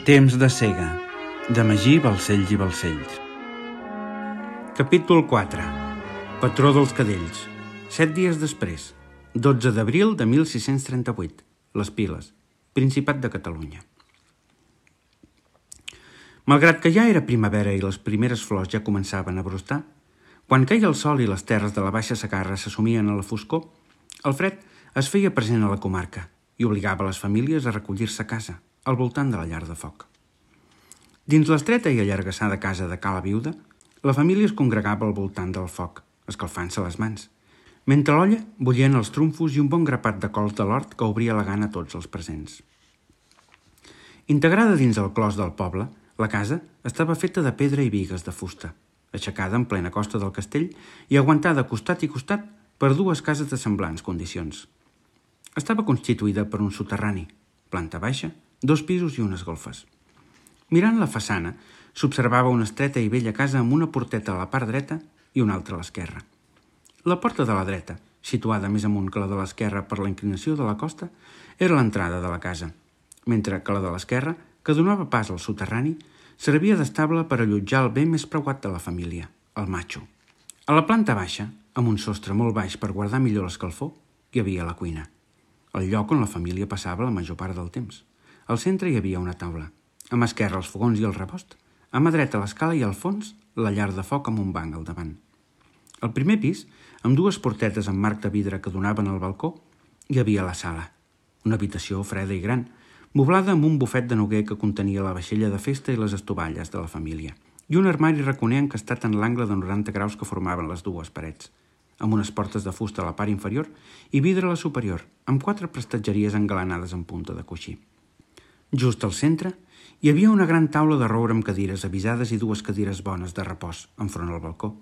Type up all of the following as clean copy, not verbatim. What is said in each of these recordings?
Temps de cega, de Magí Balcells i Balcells. Capítol 4. Patró dels cadells. 7 dies després, 12 d'abril de 1638. Les Piles, Principat de Catalunya. Malgrat que ja era primavera i les primeres flors ja començaven a brostar, quan queia el sol i les terres de la Baixa Segarra s'assumien a la foscor, el fred es feia present a la comarca i obligava les famílies a recollir-se a casa, al voltant de la llar de foc. Dins l'estreta i allargassada casa de Cala Viuda, la família es congregava al voltant del foc, escalfant-se les mans, mentre a l'olla bullien els trumfos i un bon grapat de cols de l'hort que obria la gana a tots els presents. Integrada dins el clos del poble, la casa estava feta de pedra i bigues de fusta, aixecada en plena costa del castell i aguantada costat i costat per dues cases de semblants condicions. Estava constituïda per un soterrani, planta baixa, 2 pisos i unes golfes. Mirant la façana, s'observava una estreta i vella casa amb una porteta a la part dreta i una altra a l'esquerra. La porta de la dreta, situada més amunt que la de l'esquerra per la inclinació de la costa, era l'entrada de la casa, mentre que la de l'esquerra, que donava pas al soterrani, servia d'estable per allotjar el bé més preuat de la família, el matxo. A la planta baixa, amb un sostre molt baix per guardar millor l'escalfor, hi havia la cuina, el lloc on la família passava la major part del temps. Al centre hi havia una taula, a mà esquerra els fogons i el rebost, a mà dreta l'escala i al fons la llar de foc amb un banc al davant. Al primer pis, amb 2 portetes amb marc de vidre que donaven al balcó, hi havia la sala, una habitació freda i gran, moblada amb un bufet de noguer que contenia la vaixella de festa i les estovalles de la família, i un armari raconer encastat en l'angle de 90 graus que formaven les 2 parets, amb unes portes de fusta a la part inferior i vidre a la superior, amb 4 prestatgeries engalanades en punta de coixí. Just al centre hi havia una gran taula de roure amb cadires avisades i 2 cadires bones de repòs enfront al balcó.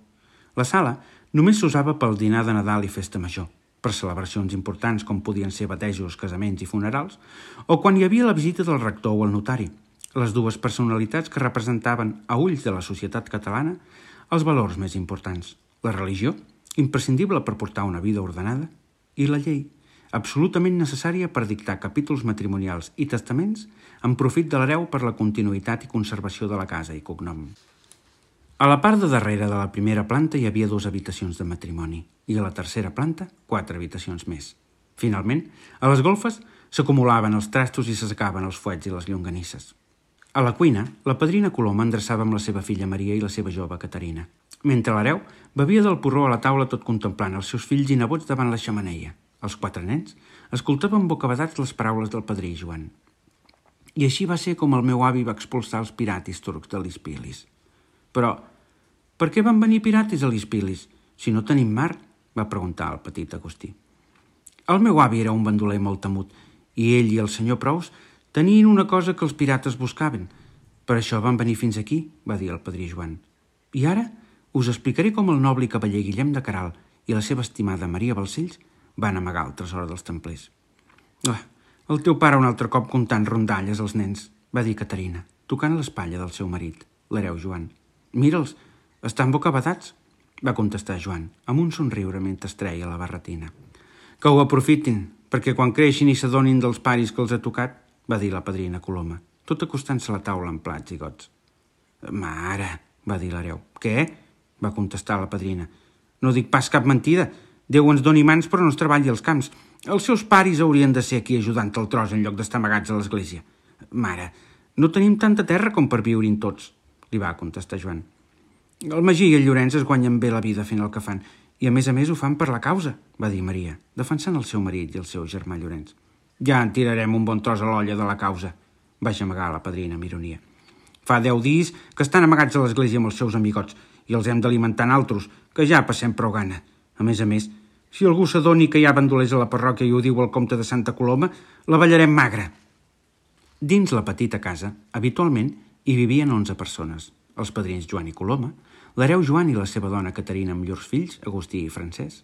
La sala només s'usava pel dinar de Nadal i festa major, per celebracions importants com podien ser batejos, casaments i funerals, o quan hi havia la visita del rector o el notari, les 2 personalitats que representaven, a ulls de la societat catalana, els valors més importants, la religió, imprescindible per portar una vida ordenada, i la llei, absolutament necessària per dictar capítols matrimonials i testaments en profit de l'hereu per la continuïtat i conservació de la casa i cognom. A la part de darrere de la primera planta hi havia 2 habitacions de matrimoni i a la tercera planta 4 habitacions més. Finalment, a les golfes s'acumulaven els trastos i s'assecaven els fuets i les llonganisses. A la cuina, la padrina Coloma endreçava amb la seva filla Maria i la seva jove Caterina, mentre l'hereu bevia del porró a la taula tot contemplant els seus fills i nebots davant la xemeneia. Els 4 nens escoltaven bocabadats les paraules del padrí Joan. I així va ser com el meu avi va expulsar els piratis turcs de l'Ispilis. Però, per què van venir piratis a l'Ispilis, si no tenim mar? Va preguntar el petit Agustí. El meu avi era un bandoler molt temut, i ell i el senyor Prous tenien una cosa que els pirates buscaven. Per això van venir fins aquí, va dir el padrí Joan. I ara us explicaré com el noble i cavaller Guillem de Queralt i la seva estimada Maria Balcells van amagar el tresor dels templers. El teu pare un altre cop comptant rondalles als nens, va dir Caterina, tocant l'espatlla del seu marit, l'hereu Joan. Mira'ls, estan bocabadats, va contestar Joan, amb un somriure mentre es treia la barretina. Que ho aprofitin, perquè quan creixin i s'adonin dels paris que els ha tocat, va dir la padrina Coloma, tot acostant-se a la taula amb plats i gots. Mare, va dir l'hereu. Què? Va contestar la padrina. No dic pas cap mentida. Déu ens doni mans però no es treballi als camps. Els seus paris haurien de ser aquí ajudant el tros en lloc d'estar amagats a l'església. Mare, no tenim tanta terra com per viure-hi tots, li va contestar Joan. El Magí i el Llorenç es guanyen bé la vida fent el que fan, i a més ho fan per la causa, va dir Maria, defensant el seu marit i el seu germà Llorenç. Ja en tirarem un bon tros a l'olla de la causa, va gemegar la padrina amb ironia. Fa 10 dies que estan amagats a l'església amb els seus amigots i els hem d'alimentar altres, que ja passem prou gana. A més, si algú s'adoni que hi ha bandolers a la parròquia i ho diu el comte de Santa Coloma, la ballarem magra. Dins la petita casa, habitualment, hi vivien 11 persones. Els padrins Joan i Coloma, l'hereu Joan i la seva dona Caterina amb llurs fills, Agustí i Francesc,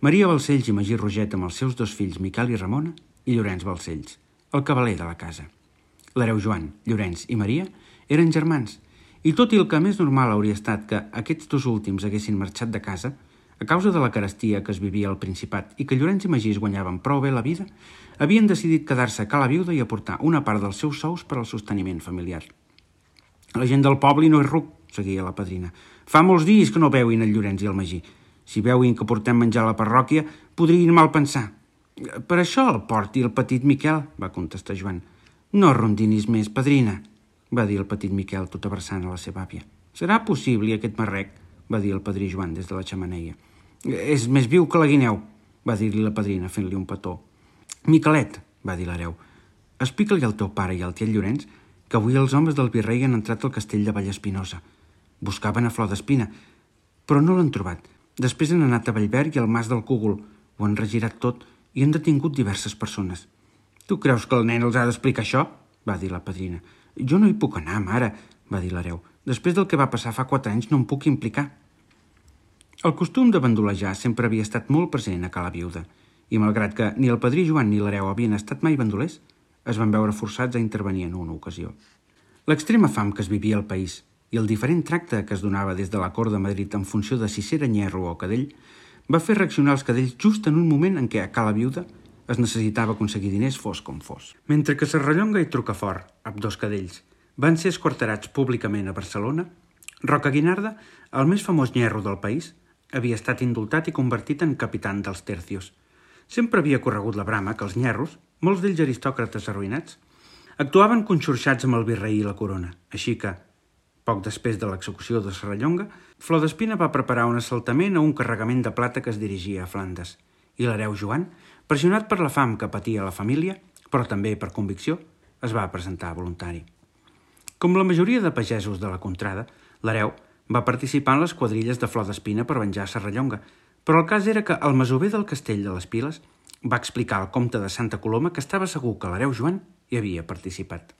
Maria Balcells i Magí Roget amb els seus 2 fills, Miquel i Ramona, i Llorenç Balcells, el cavaler de la casa. L'hereu Joan, Llorenç i Maria eren germans, i tot i el que més normal hauria estat que aquests 2 últims haguessin marxat de casa, A causa de la carestia que es vivia al Principat i que Llorenç i Magí guanyaven prou bé la vida, havien decidit quedar-se a Cala Viuda i aportar una part dels seus sous per al sosteniment familiar. La gent del poble no és ruc, seguia la padrina. Fa molts dies que no veuin el Llorenç i el Magí. Si veuin que portem menjar a la parròquia, podrien mal pensar. Per això el porti el petit Miquel, va contestar Joan. No rondinis més, padrina, va dir el petit Miquel tot abraçant a la seva àvia. Serà possible aquest marrec, va dir el padrí Joan des de la xemeneia. És més viu que la guineu, va dir-li la padrina fent-li un petó. Miquelet, va dir l'hereu, explica-li al teu pare i al tiet Llorenç que avui els homes del virrei han entrat al castell de Vallespinosa. Buscaven a Flor d'Espina, però no l'han trobat. Després han anat a Vallverd i al Mas del Cúgol. Ho han regirat tot i han detingut diverses persones. Tu creus que el nen els ha d'explicar això? Va dir la padrina. Jo no hi puc anar, mare, va dir l'hereu. Després del que va passar fa 4 anys no em puc implicar. El costum de bandolejar sempre havia estat molt present a Cala Viuda, i malgrat que ni el padrí Joan ni l'hereu havien estat mai bandolers, es van veure forçats a intervenir en una ocasió. L'extrema fam que es vivia al país i el diferent tracte que es donava des de la cort de Madrid en funció de si era nyerro o cadell va fer reaccionar els cadells just en un moment en què a Cala Viuda es necessitava aconseguir diners fos com fos. Mentre que Serrallonga i Trucafort, ambdós cadells, van ser esquarterats públicament a Barcelona, Roca Guinarda, el més famós nyerro del país, havia estat indultat i convertit en capitán dels tercios. Sempre havia corregut la brama que els nyerros, molts d'ells aristòcrates arruïnats, actuaven conxorxats amb el virrei i la corona, així que, poc després de l'execució de Serrallonga, Flor d'Espina va preparar un assaltament a un carregament de plata que es dirigia a Flandes, i l'hereu Joan, pressionat per la fam que patia la família, però també per convicció, es va presentar voluntari. Com la majoria de pagesos de la contrada, l'hereu va participar en les quadrilles de Flor d'Espina per venjar Serrallonga, però el cas era que el masover del castell de les Piles va explicar al comte de Santa Coloma que estava segur que l'hereu Joan hi havia participat.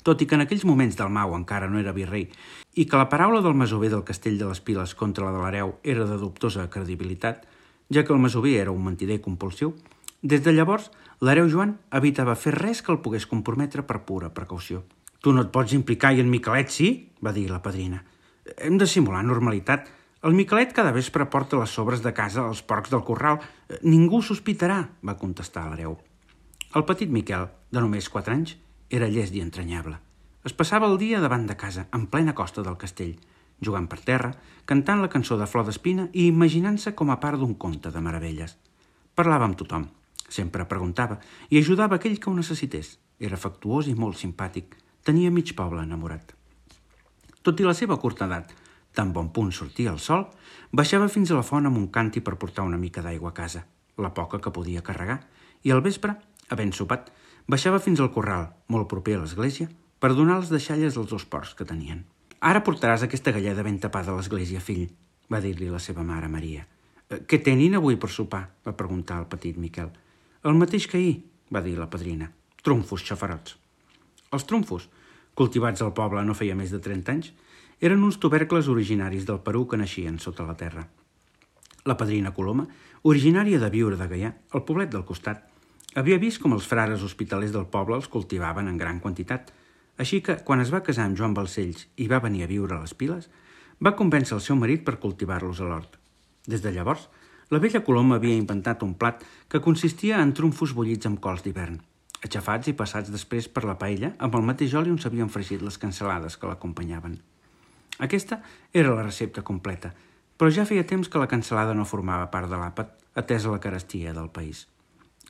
Tot i que en aquells moments Dalmau encara no era virrei i que la paraula del masover del castell de les Piles contra la de l'hereu era de dubtosa credibilitat, ja que el masover era un mentider compulsiu, des de llavors l'hereu Joan evitava fer res que el pogués comprometre per pura precaució. Tu no et pots implicar i en Miquelet sí? Va dir la padrina. Hem de simular normalitat. El Miquelet cada vespre porta les sobres de casa als porcs del corral. Ningú sospitarà, va contestar l'hereu. El petit Miquel, de només 4 anys, era llest i entranyable. Es passava el dia davant de casa, en plena costa del castell, jugant per terra, cantant la cançó de Flor d'Espina i imaginant-se com a part d'un conte de meravelles. Parlava amb tothom, sempre preguntava i ajudava aquell que ho necessités. Era afectuós i molt simpàtic. Tenia mig poble enamorat. Tot i la seva curta edat, tan bon punt sortia el sol, baixava fins a la font amb un càntir per portar una mica d'aigua a casa, la poca que podia carregar, i al vespre, havent sopat, baixava fins al corral, molt proper a l'església, per donar les deixalles als 2 porcs que tenien. Ara portaràs aquesta galleda ben tapada a l'església, fill, va dir-li la seva mare Maria. Què tenin avui per sopar? Va preguntar el petit Miquel. El mateix que ahir, va dir la padrina. Trumfos xafarots. Els trumfos, cultivats al poble no feia més de 30 anys, eren uns tubercles originaris del Perú que naixien sota la terra. La padrina Coloma, originària de Biure de Gaià, al poblet del costat, havia vist com els frares hospitalers del poble els cultivaven en gran quantitat, així que, quan es va casar amb Joan Balcells i va venir a viure a les Piles, va convèncer el seu marit per cultivar-los a l'hort. Des de llavors, la vella Coloma havia inventat un plat que consistia en trumfos bullits amb cols d'hivern, aixafats i passats després per la paella amb el mateix oli on s'havien fregit les cansalades que l'acompanyaven. Aquesta era la recepta completa, però ja feia temps que la cansalada no formava part de l'àpat, atesa la carestia del país.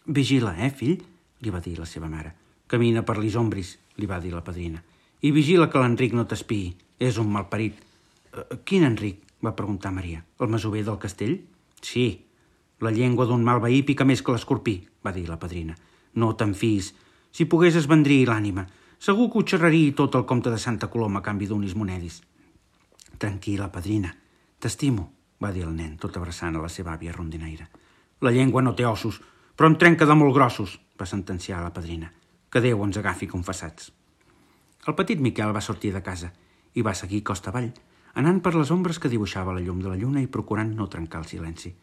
«Vigila, fill?», li va dir la seva mare. «Camina per les ombris», li va dir la padrina. «I vigila que l'Enric no t'espiï, és un malparit». «Quin Enric?», va preguntar Maria. «El masover del castell?» «Sí, la llengua d'un mal veí pica més que l'escorpí», va dir la padrina. «No te'n fiïs. Si pogués es vendria l'ànima. Segur que ho xerraria tot el comte de Santa Coloma a canvi d'unis monedis». «Tranquil·la, padrina. T'estimo», va dir el nen, tot abraçant a la seva àvia rondinaire. «La llengua no té ossos, però en trenca de molt grossos», va sentenciar la padrina. «Que Déu ens agafi confessats». El petit Miquel va sortir de casa i va seguir costa avall, anant per les ombres que dibuixava la llum de la lluna i procurant no trencar el silenci.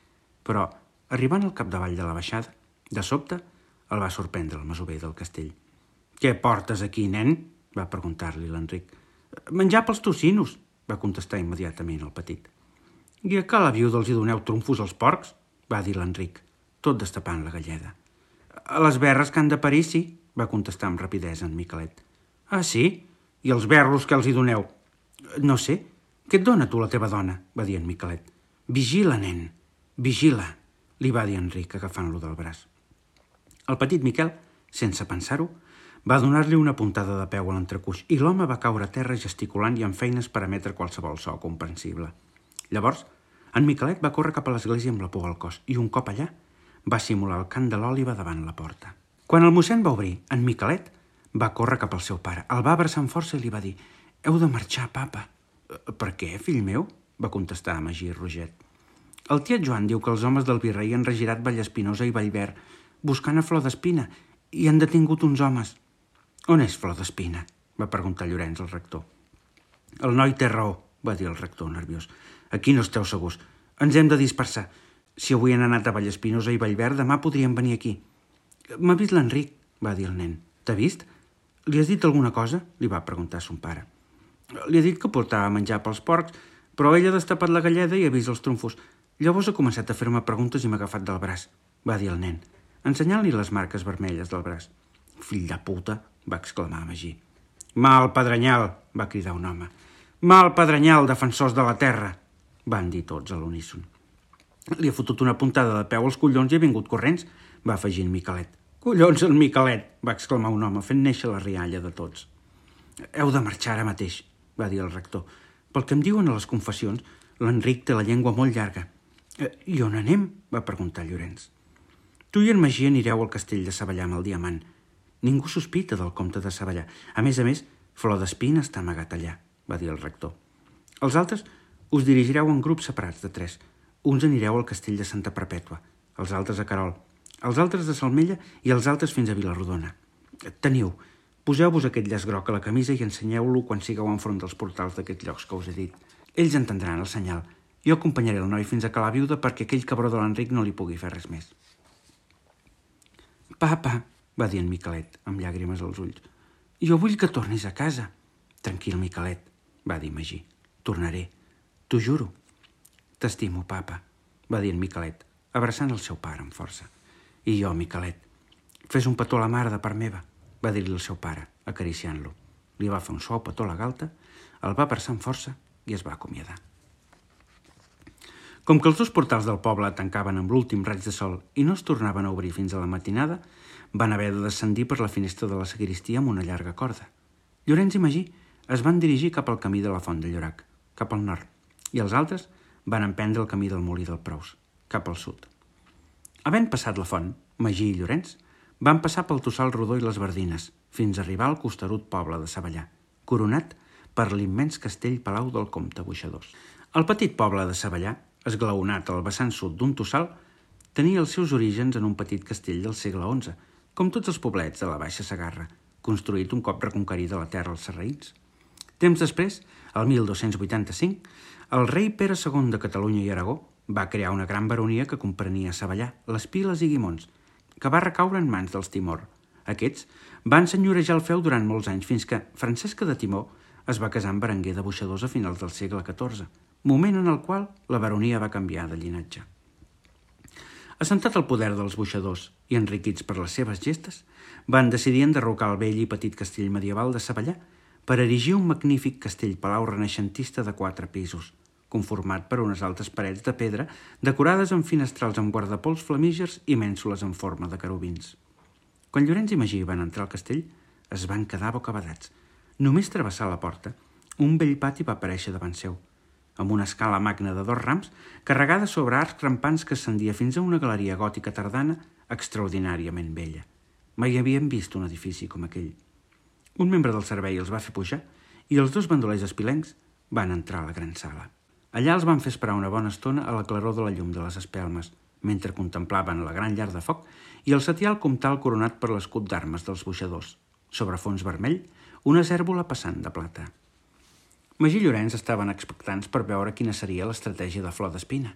Però, arribant al capdavall de la baixada, de sobte, el va sorprendre el masover del castell. «Què portes aquí, nen?», va preguntar-li l'Enric. «Menjar pels tocinos», va contestar immediatament el petit. I a Cala Viuda els hi doneu trumfos als porcs? Va dir l'Enric, tot destapant la galleda. A les berres que han de parir, sí, va contestar amb rapidesa en Miquelet. Ah, sí? I els berros que els hi doneu? No sé. Què et dona tu la teva dona? Va dir en Miquelet. Vigila, nen, vigila, li va dir Enric agafant-lo del braç. El petit Miquel, sense pensar-ho, va donar-li una puntada de peu a l'entrecuix i l'home va caure a terra gesticulant i amb feines per emetre qualsevol so comprensible. Llavors, en Miquelet va córrer cap a l'església amb la por al cos i un cop allà va simular el cant de l'òliba davant la porta. Quan el mossèn va obrir, en Miquelet va córrer cap al seu pare, el va abraçar amb força i li va dir «Heu de marxar, papa». «Per què, fill meu?», va contestar Magí Roget. «El tiet Joan diu que els homes del virrei han regirat Vallespinosa i Vallverd buscant a Flor d'Espina i han detingut uns homes». «On és Flor d'Espina?», va preguntar Llorenç al rector. «El noi té raó», va dir el rector nerviós. «Aquí no esteu segurs. Ens hem de dispersar. Si avui han anat a Vallespinosa i Vallverd, demà podríem venir aquí». «M'ha vist l'Enric», va dir el nen. «T'ha vist? Li has dit alguna cosa?», li va preguntar son pare. «Li ha dit que portava menjar pels porcs, però ell ha destapat la galleda i ha vist els trumfos. Llavors ha començat a fer-me preguntes i m'ha agafat del braç», va dir el nen, ensenyant-li les marques vermelles del braç. «Fill de puta», va exclamar Magí. «Mal pedrenyal», va cridar un home. «Mal pedrenyal, defensors de la terra», van dir tots a l'uníson. «Li ha fotut una puntada de peu als collons i ha vingut corrents», va afegir en Miquelet. «Collons, en Miquelet», va exclamar un home fent néixer la rialla de tots. «Heu de marxar ara mateix», va dir el rector. «Pel que em diuen a les confessions, l'Enric té la llengua molt llarga». «I on anem?», va preguntar Llorenç. «Tu i en Magí anireu al castell de Savallà amb el diamant. Ningú sospita del comte de Savallà. A més, Flor d'Espina està amagat allà», va dir el rector. «Els altres us dirigireu en grups separats de 3. Uns anireu al castell de Santa Perpètua, els altres a Querol, els altres a Salmella i els altres fins a Vilarrodona. Teniu, poseu-vos aquest llaç groc a la camisa i ensenyeu-lo quan sigueu enfront dels portals d'aquests llocs que us he dit. Ells entendran el senyal. Jo acompanyaré el noi fins a Cala Viuda perquè aquell cabró de l'Enric no li pugui fer res més». «Papa», va dir en Miquelet, amb llàgrimes als ulls, «jo vull que tornis a casa». «Tranquil, Miquelet», va dir Magí, «tornaré, t'ho juro». «T'estimo, papa», va dir en Miquelet, abraçant el seu pare amb força. «I jo, Miquelet, fes un petó a la mare de part meva», va dir-li el seu pare, acariciant-lo. Li va fer un suau petó a la galta, el va abraçar amb força i es va acomiadar. Com que els 2 portals del poble tancaven amb l'últim raig de sol i no es tornaven a obrir fins a la matinada, van haver de descendir per la finestra de la sagristia amb una llarga corda. Llorenç i Magí es van dirigir cap al camí de la Font de Llorac, cap al nord, i els altres van emprendre el camí del Molí del Prous, cap al sud. Havent passat la font, Magí i Llorenç van passar pel Tossal Rodó i les Verdines, fins a arribar al costerut poble de Savallà, coronat per l'immens castell-palau del comte Boixadors. El petit poble de Savallà, esglaonat al vessant sud d'un tossal, tenia els seus orígens en un petit castell del segle XI, com tots els poblets de la Baixa Segarra, construït un cop reconquerida la terra als sarraïns. Temps després, el 1285, el rei Pere II de Catalunya i Aragó va crear una gran baronia que comprenia Savallà, les Piles i Guimons, que va recaure en mans dels Timor. Aquests van senyorejar el feu durant molts anys fins que Francesca de Timor es va casar amb Berenguer de Boixadors a finals del segle XIV, moment en el qual la baronia va canviar de llinatge. Assentat al poder dels Boixadors i enriquits per les seves gestes, van decidir enderrocar el vell i petit castell medieval de Savallà per erigir un magnífic castell-palau renaixentista de 4 pisos, conformat per unes altes parets de pedra decorades amb finestrals amb guardapols flamígers i mènsules en forma de querubins. Quan Llorenç i Magí van entrar al castell, es van quedar bocabadats. Només travessar la porta, un vell pati va aparèixer davant seu, amb una escala magna de 2 rams carregada sobre arcs rampants que ascendia fins a una galeria gòtica tardana extraordinàriament bella. Mai havien vist un edifici com aquell. Un membre del servei els va fer pujar i els 2 bandolers espilencs van entrar a la gran sala. Allà els van fer esperar una bona estona a la claror de la llum de les espelmes, mentre contemplaven la gran llar de foc i el setial comtal coronat per l'escut d'armes dels Boixadors. Sobre fons vermell, una cèrvola passant de plata. Magí i Llorenç estaven expectants per veure quina seria l'estratègia de Flor d'Espina.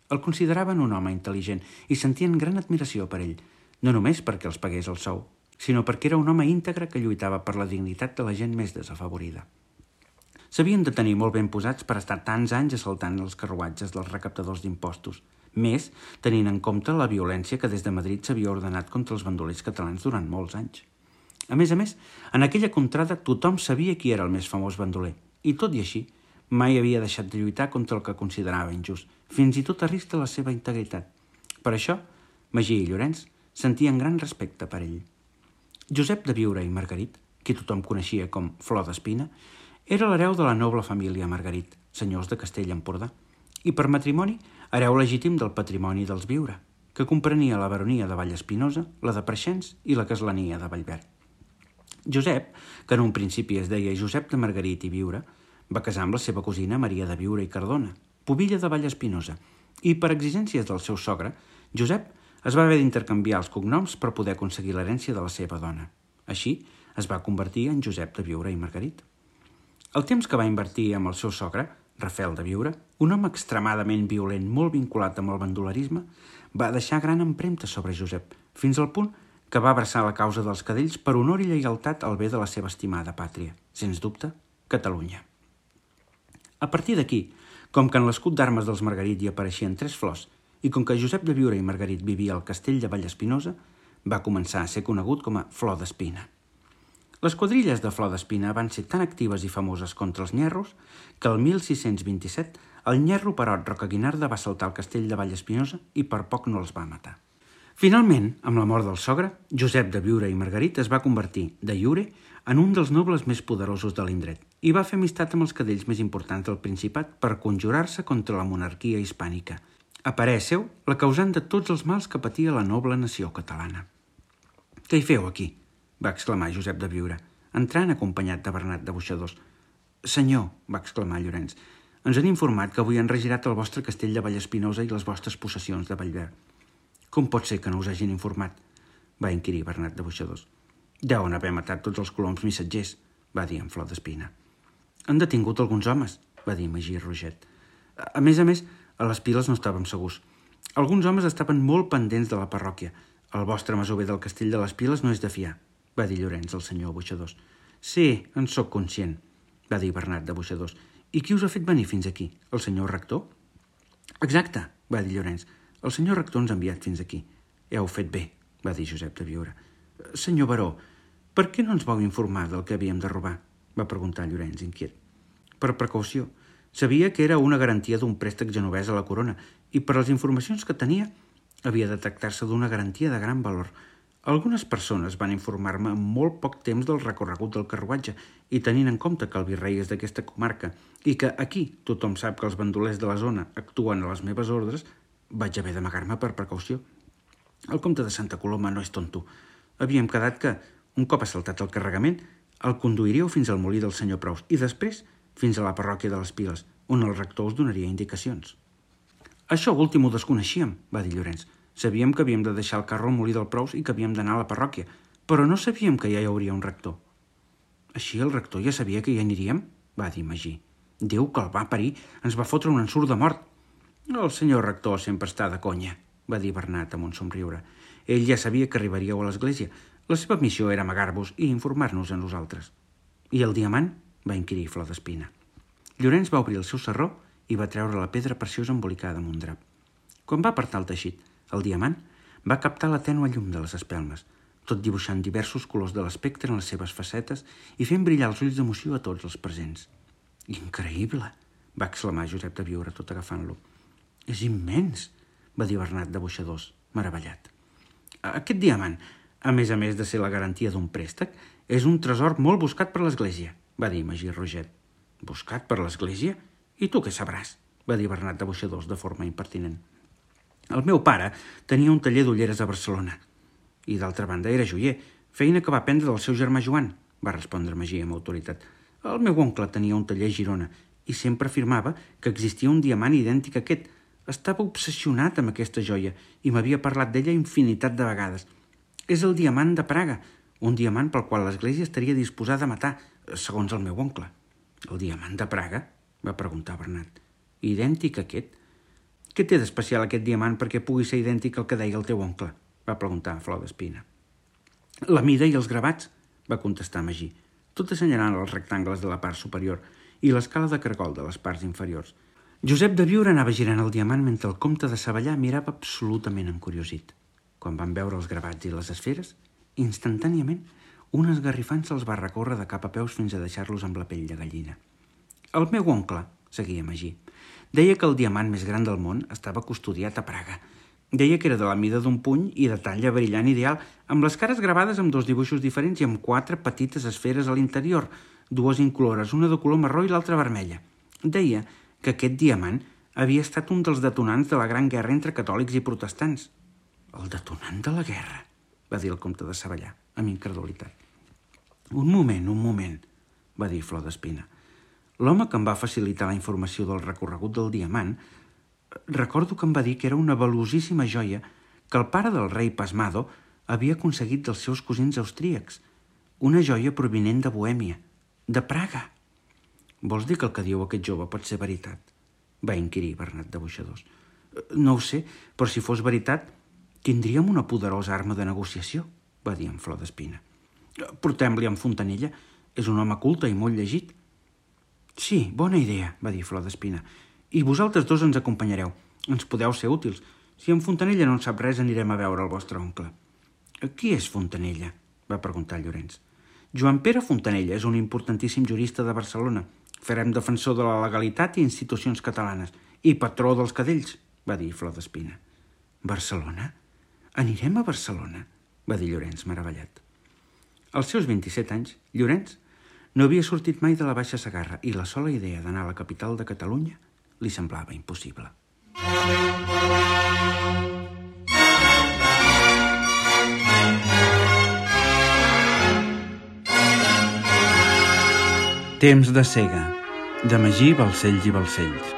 El consideraven un home intel·ligent i sentien gran admiració per ell, no només perquè els pagués el sou, sinó perquè era un home íntegre que lluitava per la dignitat de la gent més desafavorida. S'havien de tenir molt ben posats per estar tants anys assaltant els carruatges dels recaptadors d'impostos, més tenint en compte la violència que des de Madrid s'havia ordenat contra els bandolers catalans durant molts anys. A més, en aquella contrada tothom sabia qui era el més famós bandoler, i tot i així, mai havia deixat de lluitar contra el que considerava injust, fins i tot a risc de la seva integritat. Per això, Magí i Llorenç sentien gran respecte per ell. Josep de Biure i Margarit, qui tothom coneixia com Flor d'Espina, era l'hereu de la noble família Margarit, senyors de Castell-Empordà, i per matrimoni hereu legítim del patrimoni dels Biure, que comprenia la baronia de Vallespinosa, la de Preixens i la castlania de Vallverd. Josep, que en un principi es deia Josep de Margarit i Biure, va casar amb la seva cosina Maria de Biure i Cardona, pubilla de Vallespinosa, i per exigències del seu sogre, Josep es va haver d'intercanviar els cognoms per poder aconseguir l'herència de la seva dona. Així es va convertir en Josep de Biure i Margarit. El temps que va invertir amb el seu sogre, Rafel de Biure, un home extremadament violent molt vinculat amb el bandolerisme, va deixar gran empremta sobre Josep, fins al punt que va abraçar la causa dels cadells per honor i lleialtat al bé de la seva estimada pàtria, sens dubte, Catalunya. A partir d'aquí, com que en l'escut d'armes dels Margarit hi apareixien 3 flors i com que Josep de Biure i Margarit vivia al castell de Vallespinosa, va començar a ser conegut com a Flor d'Espina. Les quadrilles de Flor d'Espina van ser tan actives i famoses contra els nyerros que el 1627 el nyerro Perot Rocaguinarda va saltar al castell de Vallespinosa i per poc no els va matar. Finalment, amb la mort del sogre, Josep de Biure i Margarit es va convertir, de iure, en un dels nobles més poderosos de l'indret i va fer amistat amb els cadells més importants del Principat per conjurar-se contra la monarquia hispànica, a parer seu la causant de tots els mals que patia la noble nació catalana. «Què hi feu aquí?», va exclamar Josep de Biure, entrant acompanyat de Bernat de Boixadors. «Senyor», va exclamar Llorenç, «ens han informat que avui han regirat el vostre castell de Vallespinosa i les vostres possessions de Vallverd». «Com pot ser que no us hagin informat?», va inquirir Bernat de Boixadors. «Deuen haver matat tots els coloms missatgers», va dir en Flor d'Espina. «Han detingut alguns homes», va dir Magí Roget. A més, a les Piles no estàvem segurs. Alguns homes estaven molt pendents de la parròquia. El vostre masover del castell de les Piles no és de fiar, va dir Llorenç al senyor Boixadors. «Sí, en sóc conscient», va dir Bernat de Boixadors. «I qui us ha fet venir fins aquí? El senyor rector?» «Exacte», va dir Llorenç. «El senyor rector ens ha enviat fins aquí». «Heu fet bé», va dir Josep de Biure. «Senyor baró, per què no ens vau informar del que havíem de robar?», va preguntar Llorenç, inquiet. «Per precaució. Sabia que era una garantia d'un préstec genovès a la corona i per les informacions que tenia havia de tractar-se d'una garantia de gran valor. Algunes persones van informar-me en molt poc temps del recorregut del carruatge i tenint en compte que el virrei és d'aquesta comarca i que aquí tothom sap que els bandolers de la zona actuen a les meves ordres, vaig haver d'amagar-me per precaució. El comte de Santa Coloma no és tonto. Havíem quedat que, un cop assaltat el carregament, el conduiríeu fins al molí del senyor Prous i després fins a la parròquia de les Piles, on el rector us donaria indicacions». «Això últim ho desconeixíem», va dir Llorenç. «Sabíem que havíem de deixar el carro al molí del Prous i que havíem d'anar a la parròquia, però no sabíem que ja hi hauria un rector». «Així el rector ja sabia que hi aniríem?», va dir Magí. «Déu que el va parir, ens va fotre un ensurt de mort». «El senyor rector sempre està de conya», va dir Bernat amb un somriure. «Ell ja sabia que arribaríeu a l'església. La seva missió era amagar-vos i informar-nos a nosaltres». «I el diamant?», va inquirir Flor d'Espina. Llorenç va obrir el seu sarró i va treure la pedra preciosa embolicada amb un drap. Quan va apartar el teixit, el diamant va captar la tènue llum de les espelmes, tot dibuixant diversos colors de l'espectre en les seves facetes i fent brillar els ulls d'emoció a tots els presents. «Increïble!», va exclamar Josep de Biure tot agafant-lo. «És immens!», va dir Bernat de Boixadors, meravellat. «Aquest diamant, a més de ser la garantia d'un préstec, és un tresor molt buscat per l'Església», va dir Magí Roget. «Buscat per l'Església? I tu què sabràs?», va dir Bernat de Boixadors de forma impertinent. «El meu pare tenia un taller d'ulleres a Barcelona. I d'altra banda era joier, feina que va aprendre del seu germà Joan», va respondre Magí amb autoritat. «El meu oncle tenia un taller a Girona i sempre afirmava que existia un diamant idèntic a aquest. Estava obsessionat amb aquesta joia i m'havia parlat d'ella infinitat de vegades. És el diamant de Praga, un diamant pel qual l'Església estaria disposada a matar, segons el meu oncle». «El diamant de Praga?», va preguntar Bernat. «Idèntic a aquest? Què té d'especial aquest diamant perquè pugui ser idèntic al que deia el teu oncle?», va preguntar Flor d'Espina. «La mida i els gravats», va contestar Magí, tot assenyalant els rectangles de la part superior, i l'escala de cargol de les parts inferiors. Josep de Biure anava girant el diamant mentre el comte de Savallà mirava absolutament encuriosit. Quan van veure els gravats i les esferes, instantàniament, un esgarrifant se'ls va recórrer de cap a peus fins a deixar-los amb la pell de gallina. El meu oncle, seguia Magí, deia que el diamant més gran del món estava custodiat a Praga. Deia que era de la mida d'un puny i de talla brillant ideal, amb les cares gravades amb 2 dibuixos diferents i amb 4 petites esferes a l'interior, 2 incolores, una de color marró i l'altra vermella. Deia que aquest diamant havia estat un dels detonants de la gran guerra entre catòlics i protestants. El detonant de la guerra, va dir el comte de Savallà, amb incredulitat. Un moment, va dir Flor d'Espina. L'home que em va facilitar la informació del recorregut del diamant, recordo que em va dir que era una valuosíssima joia que el pare del rei Pasmado havia aconseguit dels seus cosins austríacs, una joia provinent de Bohèmia, de Praga. Vols dir que el que diu aquest jove pot ser veritat? Va inquirir Bernat de Boixadors. No ho sé, però si fos veritat, tindríem una poderosa arma de negociació, va dir en Flor d'Espina. Portem-li en Fontanella, és un home culte i molt llegit. Sí, bona idea, va dir Flor d'Espina. I vosaltres 2 ens acompanyareu. Ens podeu ser útils. Si en Fontanella no en sap res, anirem a veure el vostre oncle. Qui és Fontanella? Va preguntar Llorenç. Joan Pere Fontanella és un importantíssim jurista de Barcelona. Farem defensor de la legalitat i institucions catalanes. I patró dels cadells, va dir Flor d'Espina. Barcelona? Anirem a Barcelona? Va dir Llorenç, meravellat. Als seus 27 anys, Llorenç no havia sortit mai de la Baixa Segarra i la sola idea d'anar a la capital de Catalunya li semblava impossible. Temps de cega, de Magí Balcells i Balcells.